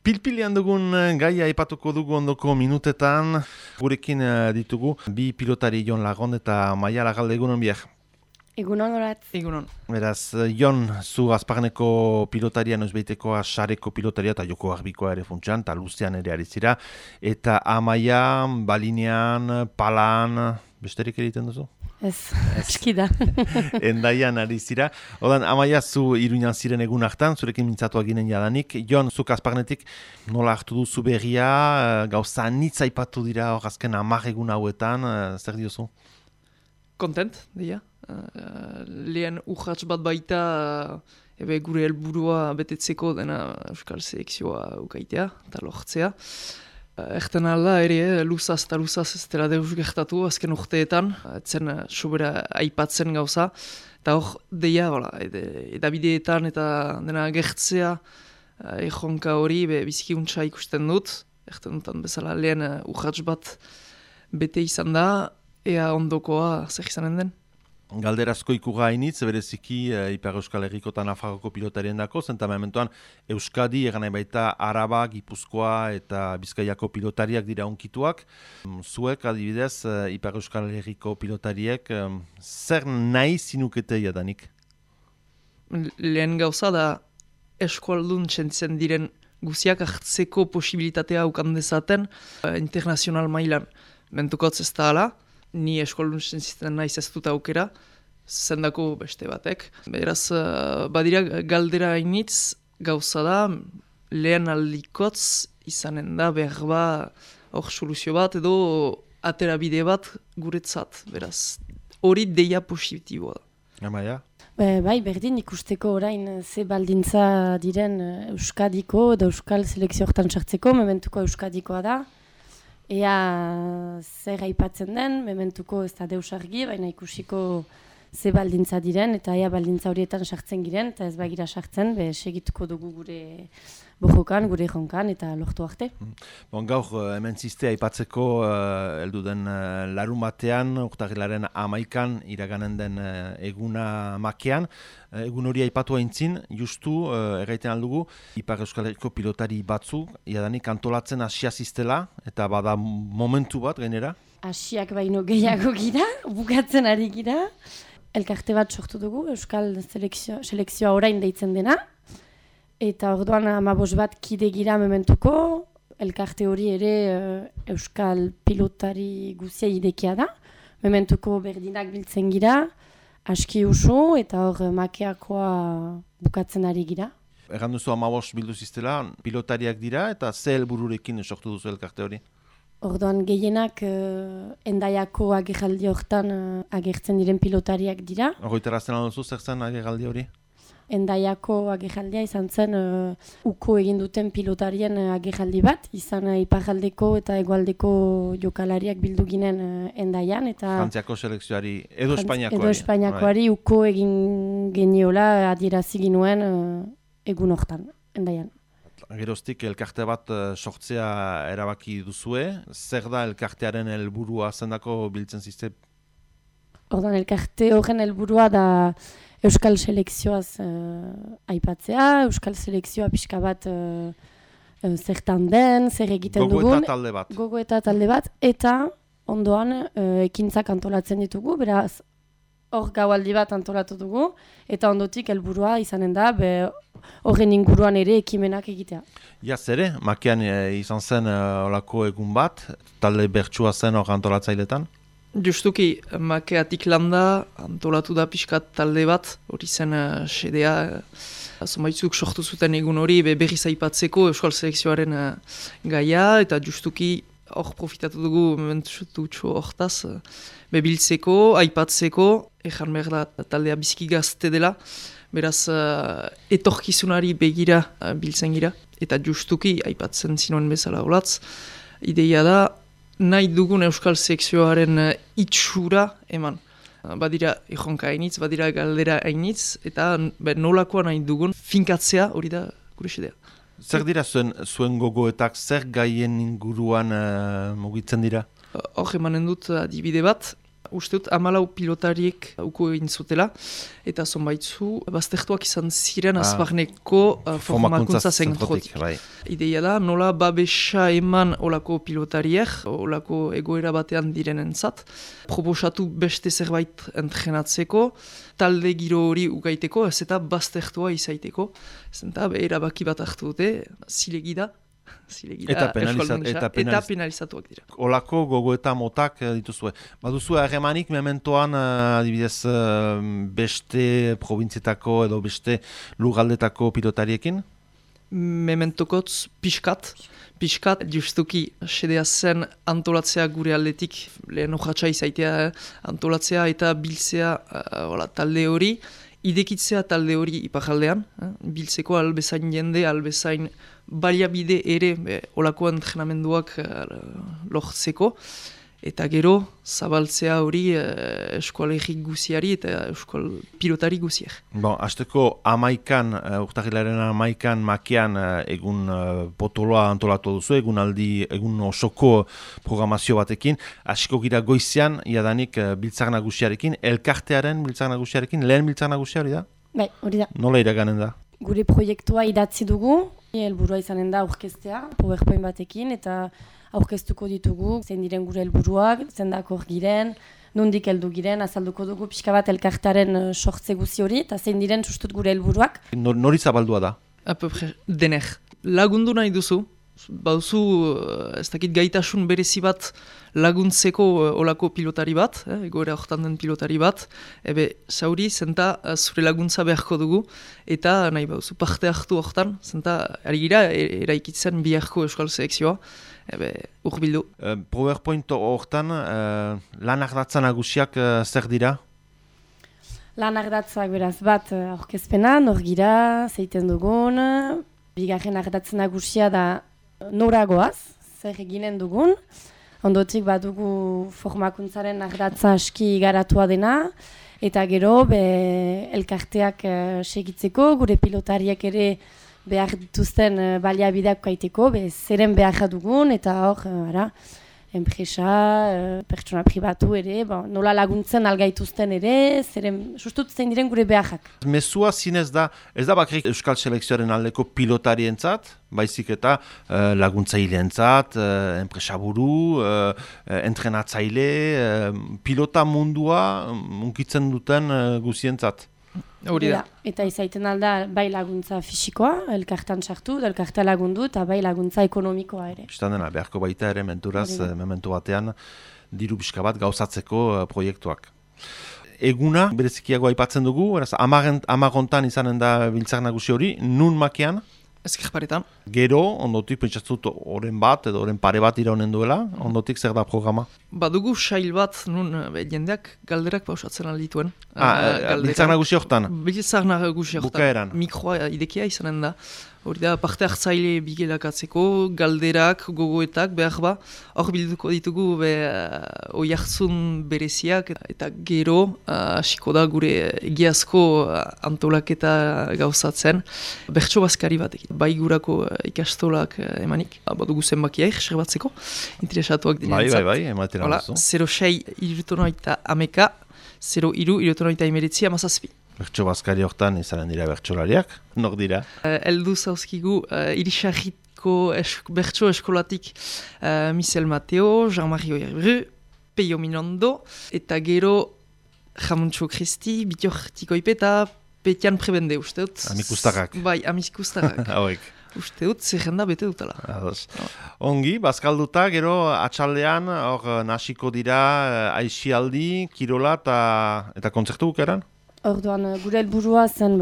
Pilpilian dugun gaia aipatuko dugu ondoko minutetan. Gurekin ditugu bi pilotari Jon Lagon eta Maia Lagalde, egunon biak. Egunon horatz. Egunon. Beraz, Jon, zu Azparneko pilotaria, noizbeitekoa sareko pilotaria eta joko arbikoa ere funtsan, eta luzean ere ari zira. Eta Amaia, balinean, palan, besterik egiten duzu? Ez, eskida. Endaian ari zira. Odan, Amaia, zu Iruñan ziren egun hartan, zurekin mintzatuak ginen jadanik. Jon, zuk Azparnetik nola hartu duzu berria, gauza nitza aipatu dira hor azken 10 egun hauetan, zer diozu? Kontent, deia. Lehen urratz bat baita gure helburua betetzeko dena Euskal Selekzioa ukaitea eta lortzea. Erten alda ere luzaz eta luzaz ez dela deus gertatu azken urteetan, etzen sobera aipatzen gauza. Eta hor deia, edabideetan eta dena gertzea erronka hori bizikiuntza ikusten dut. Erten dutan bezala lehen urratz bat bete izan da, ea ondokoa zer izanen den. Galderazko ikuga hainitz, bereziki Ipar Euskal Herriko eta Nafarroko pilotarien dako, zenta mementoan Euskadi, egan nahi baita Araba, Gipuzkoa eta Bizkaiako pilotariak dira onkituak. Zuek, adibidez, Ipar Euskal Herriko pilotariek, zer nahi zinukete jadanik? Lehen gauza da eskualdun txentzen diren guziak hartzeko posibilitatea ukan dezaten internazional mailan. Mentukotz ez da ala, ni eskualdun txentzen naiz ez dut aukera, zendako beste batek. Beraz, badira galdera hainitz gauza da, lehen aldikotz izanen da behar hor soluzio bat edo aterabide bat guretzat. Beraz, hori deia positiboa da. Amaia? Bai, berdin ikusteko orain ze baldintza diren Euskadiko edo Euskal Selekzio hortan sartzeko, mementuko Euskadikoa da. Ea zer aipatzen den, mementuko ez da deus argi, baina ikusiko ze baldintza diren, eta ea baldintza horietan sartzen giren, eta ez bagira sartzen, segituko dugu gure bojokan, gure jonkan, eta lortu arte. Bon, gaur, hemen ziste aipatzeko heldu den larun batean, urtarrilaren 11an iraganen den eguna makean. Egun hori aipatu aintzin, justu, erraiten aldugu, Ipar Euskal Herriko pilotari batzu, jadanik antolatzen hasia ziztela, eta bada momentu bat, gainera? Hasiak baino gehiago gira, bukatzen ari gira. Elkarte bat sortu dugu, Euskal Selekzioa orain deitzen dena. Eta orduan 15 bat kide gira mementuko, elkarte hori ere Euskal pilotari guzia idekia da. Mementuko berdinak biltzen gira, aski usu eta hor makeakoa bukatzen ari gira. Erran duzu 15 bildu ziztela, pilotariak dira eta ze helbururekin sortu duzu elkarte hori? Orduan gehienak Endaiako agerraldi hortan agertzen diren pilotariak dira. Horretarazten alduzu zer zen agerraldi hori? Endaiako agerraldia izan zen uko egin duten pilotarien agerraldi bat, izan iparraldeko eta hegoaldeko jokalariak bildu ginen Endaian. Frantziako selekzioari, edo Espainiakoari. Edo Espainiakoari uko egin geniola adierazi ginuen egun hortan, Endaian. Geroztik elkarte bat sortzea erabaki duzue, zer da elkartearen helburua zendako biltzen zizte? Ordan elkarte horren helburua da Euskal Selekzioaz aipatzea, Euskal Selekzioa pixka bat zertan den, zer egiten dugun. Gogo eta talde bat. Gogo eta talde bat, eta ondoan ekintzak antolatzen ditugu, beraz hor gaualdi bat antolatu dugu, eta ondotik helburua izanen da, horren inguruan ere ekimenak egitea. Jaz ere, makean izan zen olako egun bat, talde bertsua zen hor antolatzailetan? Justuki, makeatik landa antolatu da pixkat talde bat, hori zen sedea, zonbaitzuk sortu zuten egun hori berriz aipatzeko Euskal Selekzioaren gaia, eta justuki hor profitatu dugu mementutxo hortaz, bebiltzeko, aipatzeko, ejan behar da taldea biziki gazte dela, beraz etorkizunari begira biltzen gira, eta justuki aipatzen zinoen bezala olatz, ideia da nahi dugun Euskal Selekzioaren itxura eman. Badira erronka hainitz, badira galdera hainitz, eta nolakoa nahi dugun finkatzea hori da gure xedea. Zer dira zuen gogoetak, zer gaien inguruan mugitzen dira? Hor emanen dut adibide bat, uste dut 14 pilotariek uko egin zutela, eta zonbaitzu, baztertuak izan ziren azbarneko formakuntza zentrotik. Bai. Ideia da, nola babesa eman olako pilotariek, olako egoera batean direnentzat, proposatu beste zerbait entrenatzeko, talde giro hori ugaiteko, ez eta baztertua izaiteko, ez eta erabaki bat hartu dute, zilegi da, eta penalizatuak dira. Olako gogoeta motak dituzue. Baduzue harremanik mementoan adibidez beste probintzietako edo beste lugaldetako pilotariekin? Mementokotz pixkat justuki sedea zen antolatzea gure aldetik, lehen urratxa izaitea antolatzea eta biltzea talde hori, idekitzea talde hori iparaldean, biltzeko albezain jende, albezain baliabide ere olako entrenamenduak lortzeko, eta gero zabaltzea hori eskoalegik guziari eta eskual pilotari guziak. Bon, hasteko urtarrilaren 11 makean egun potoloa antolatu duzu, egun osoko programazio batekin, hasiko gira goizean, iadanik biltzar nagusiarekin, elkartearen biltzar nagusiarekin, lehen biltzar nagusia hori da? Bai, hori da. Nola iraganen da? Gure proiektua idatzi dugu, helburua izanen da aurkeztea, PowerPoint batekin, eta aurkeztuko ditugu, zein diren gure helburuak, zendako giren, nondik heldu giren, azalduko dugu pixka bat elkartaren sortze guzi hori, eta zein diren sustut gure helburuak. Nori zabaldua da? Dener. Lagundu nahi duzu, baduzu ez dakit gaitasun berezi bat laguntzeko olako pilotari bat, egoera hortan den pilotari bat, zauri zenta zure laguntza beharko dugu, eta nahi baduzu parte hartu hortan, zenta ari gira eraikitzen biharko euskal selekzioa, urbildu. PowerPoint hortan lan ardatza nagusiak zer dira? Lan ardatzak beraz bat aurkezpena, nor gira, zeiten dugun, bigarren ardatza nagusia da noragoaz, zer eginen dugun, ondotik badugu formakuntzaren ardatza aski garatua dena, eta gero elkarteak segitzeko, gure pilotariak ere behar dituzten baliabideak kaiteko, zeren behar dugun, eta hor, enpresa, pertsona pribatu ere, nola laguntzen algaituzten ere, sustut zein diren gure beharrak. Mezua zinez da, ez da bakrik euskal selekzioaren aldeko pilotarientzat, baizik eta laguntzaileentzat, enpresaburu, entrenatzaile, pilota mundua unkitzen duten guzientzat. Hori da. Eta izaiten alda bai laguntza fisikoa, elkartan sartu, elkarta lagundu, eta bai laguntza ekonomikoa ere. Istan dena, beharko baita ere menturaz, memento batean, diru pixka bat gauzatzeko proiektuak. Eguna, berezikiago aipatzen dugu, amagontan izanen da biltzar nagusi hori, nun makean? Ezkerparetan. Gero, ondotik pentsatzut oren bat edo oren pare bat iraunen duela, ondotik zer da programa? Badugu sail bat nun jendeak galderak pausatzen aldituen. Biltzar nagusi hortan? Biltzar nagusi hortan. Bukaeran. Mikroa idekia izanen da. Hori da, parte hartzaile bigelakatzeko, galderak, gogoetak, behar ba. Hor bilduko ditugu oiartzun bereziak eta gero hasiko da gure egiazko antolaketa gauzatzen. Bertso bazkari batekin, bai gurako ikastolak emanik. Badugu zenbakiaik, serbatzeko, interesatuak direnentzat. Bai, ematen alduzu. 06-63-11, 03-63-19 amazazpi. Bertso bazkari hortan izanen dira bertsolariak, nor dira? Eldu zauzkigu irisarriko bertso eskolatik Michel Mateo, Jean-Marie Oyerbru, Peio Minondo, eta gero Jamuntxo Kristi, Bitior Tikoipe eta Petian Prebende, uste dut? Amikustarrak. Bai, amikustarrak. Hauek. Uste dut, zerrenda bete dutela. Ongi, bazkalduta, gero atxaldean, hor nasiko dira aixialdi, kirola eta kontzertu bukeran? Orduan, gure helburua zen,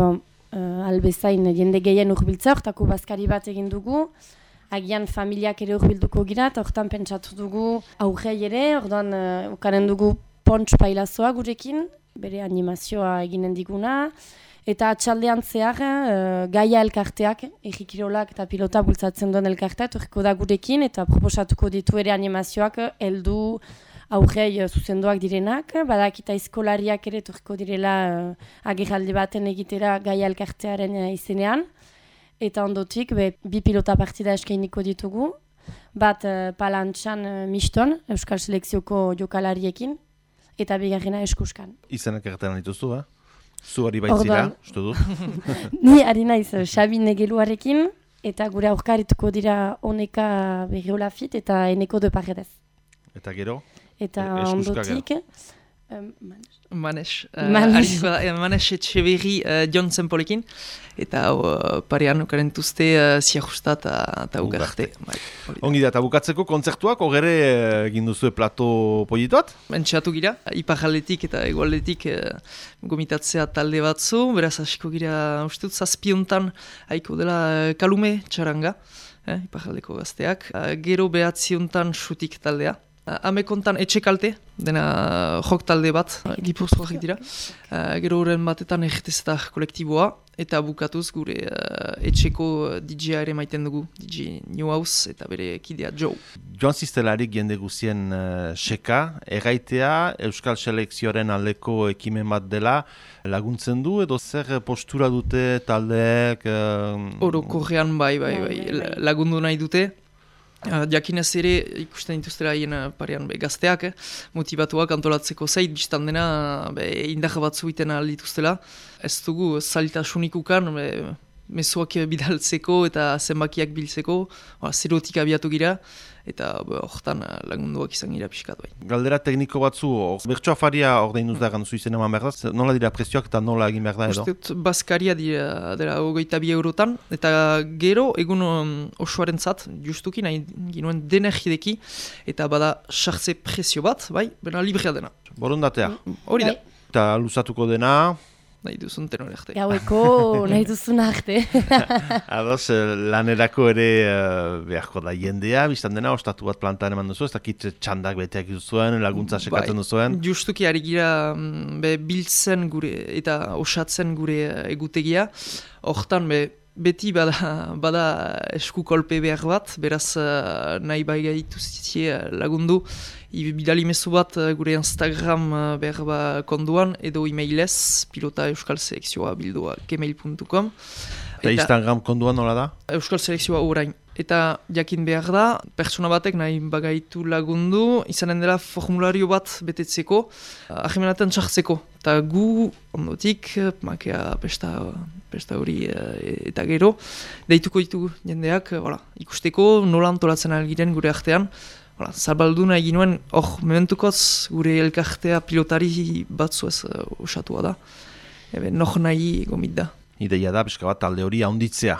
albezain jende gehien urbiltza, hortako bazkari bat egin dugu, agian familiak ere urbilduko gira, eta hortan pentsatu dugu aurrei ere, orduan, ukanen dugu pontx pailazoa gurekin, bere animazioa eginen diguna, eta atxaldean zehar, gaia elkarteak, egikirolak eta pilota bultzatzen duen elkartea, torriko da gurekin, eta proposatuko ditu ere animazioak heldu aurrei zuzendoak direnak, badakita eskolariak ere torriko direla agerraldi baten egitera gaia elkartearen izenean, eta ondotik bi pilota partida eskainiko ditugu, bat palantxan miston, Euskal Selekzioko jokalariekin, eta bigarrena Eskuskan. Izenak erretan dituzu, Zu hori baitzira, uste dut. Ni ari naiz Xabi Negeluarekin, eta gure aurkarituko dira Oneka Berriolafit eta Eneko de Paredes. Eta gero? Eta Eskuska ondotik... Manes Etxeberri Jon Zenpolekin, eta parean okarentuzte Ziajusta eta Ugarte. Ongi da, eta bukatzeko kontzertuak, ogere egin duzue plato politoat? Entxeatu gira, iparaldetik eta egualdetik gomitatzea talde batzu, beraz hasiko gira ustut zazpiontan haiko dela Kalume txaranga, iparaldeko gazteak, gero behatziontan xutik taldea. Amekontan etxekalte, dena jok talde bat, gipuzkoak dira. Gero horren batetan egetezetak kolektiboa, eta bukatuz gure etxeko DJ-a ere maiten dugu, DJ New House eta bere kidea Joe. Joan Ziztelarik jende guzien seka, erraitea Euskal Selekzioaren aldeko ekimen bat dela, laguntzen du edo zer postura dute taldeek? Orokorrean bai, lagundu nahi dute. Jakinez ere ikusten dituztera haien parean gazteak, motivatuak antolatzeko zait, biztan dena indar batzu iten dituztela. Ez dugu zailtasunik ukan, mezuak bidaltzeko eta zenbakiak biltzeko, zerotik abiatu gira, eta horretan lagunduak izan gira pixkat bai. Galdera tekniko batzu, bertso afaria ordeinduz da ganduzu izen eman behar da, nola dira prezioak eta nola egin behar da edo? Uste Baskaria dira 22 eurotan, eta gero egun osoaren zat, justuki nahi ginuen denergideki, eta bada sartze prezio bat, bai, bena librea dena. Borondatea? Hori da. Eta luzatuko dena? Nahi duzun tenore arte. Gaueko nahi duzun arte. Ados, lanerako ere beharko da jendea, biztan dena, ostatu bat plantan eman duzu, ez dakit txandak beteak duzuen, laguntza sekatzen duzuen. Justuki ari gira biltzen gure eta osatzen gure egutegia, hortan beti bada esku kolpe behar bat, beraz nahi bai gaitu lagundu, bidali mezu bat gure Instagram behar konduan, edo emailez, pilota euskal selekzioa bildua gmail.com. Eta Instagram konduan nola da? Euskal selekzioa orain. Eta jakin behar da, pertsona batek nahi bagaitu lagundu, izanen dela formulario bat betetzeko, ahimenaten txartzeko. Eta gu, ondotik, makea pesta hori eta gero, deituko ditugu jendeak, ikusteko nola antolatzen algiren gure artean. Zabalduna egin nuen, mementukoz gure elkartea pilotari batzuez osatua da. Noh nahi gomit da. Ideia da, pixka bat, talde hori haunditzea.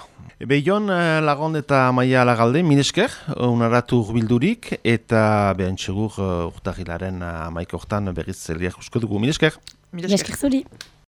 Jon Lagond eta Maia Lagalde, minesker, unaratu bildurik, eta behan txegur urtahilaren 11 hortan berriz zeliak usko dugu. Minesker. Minesker zuri.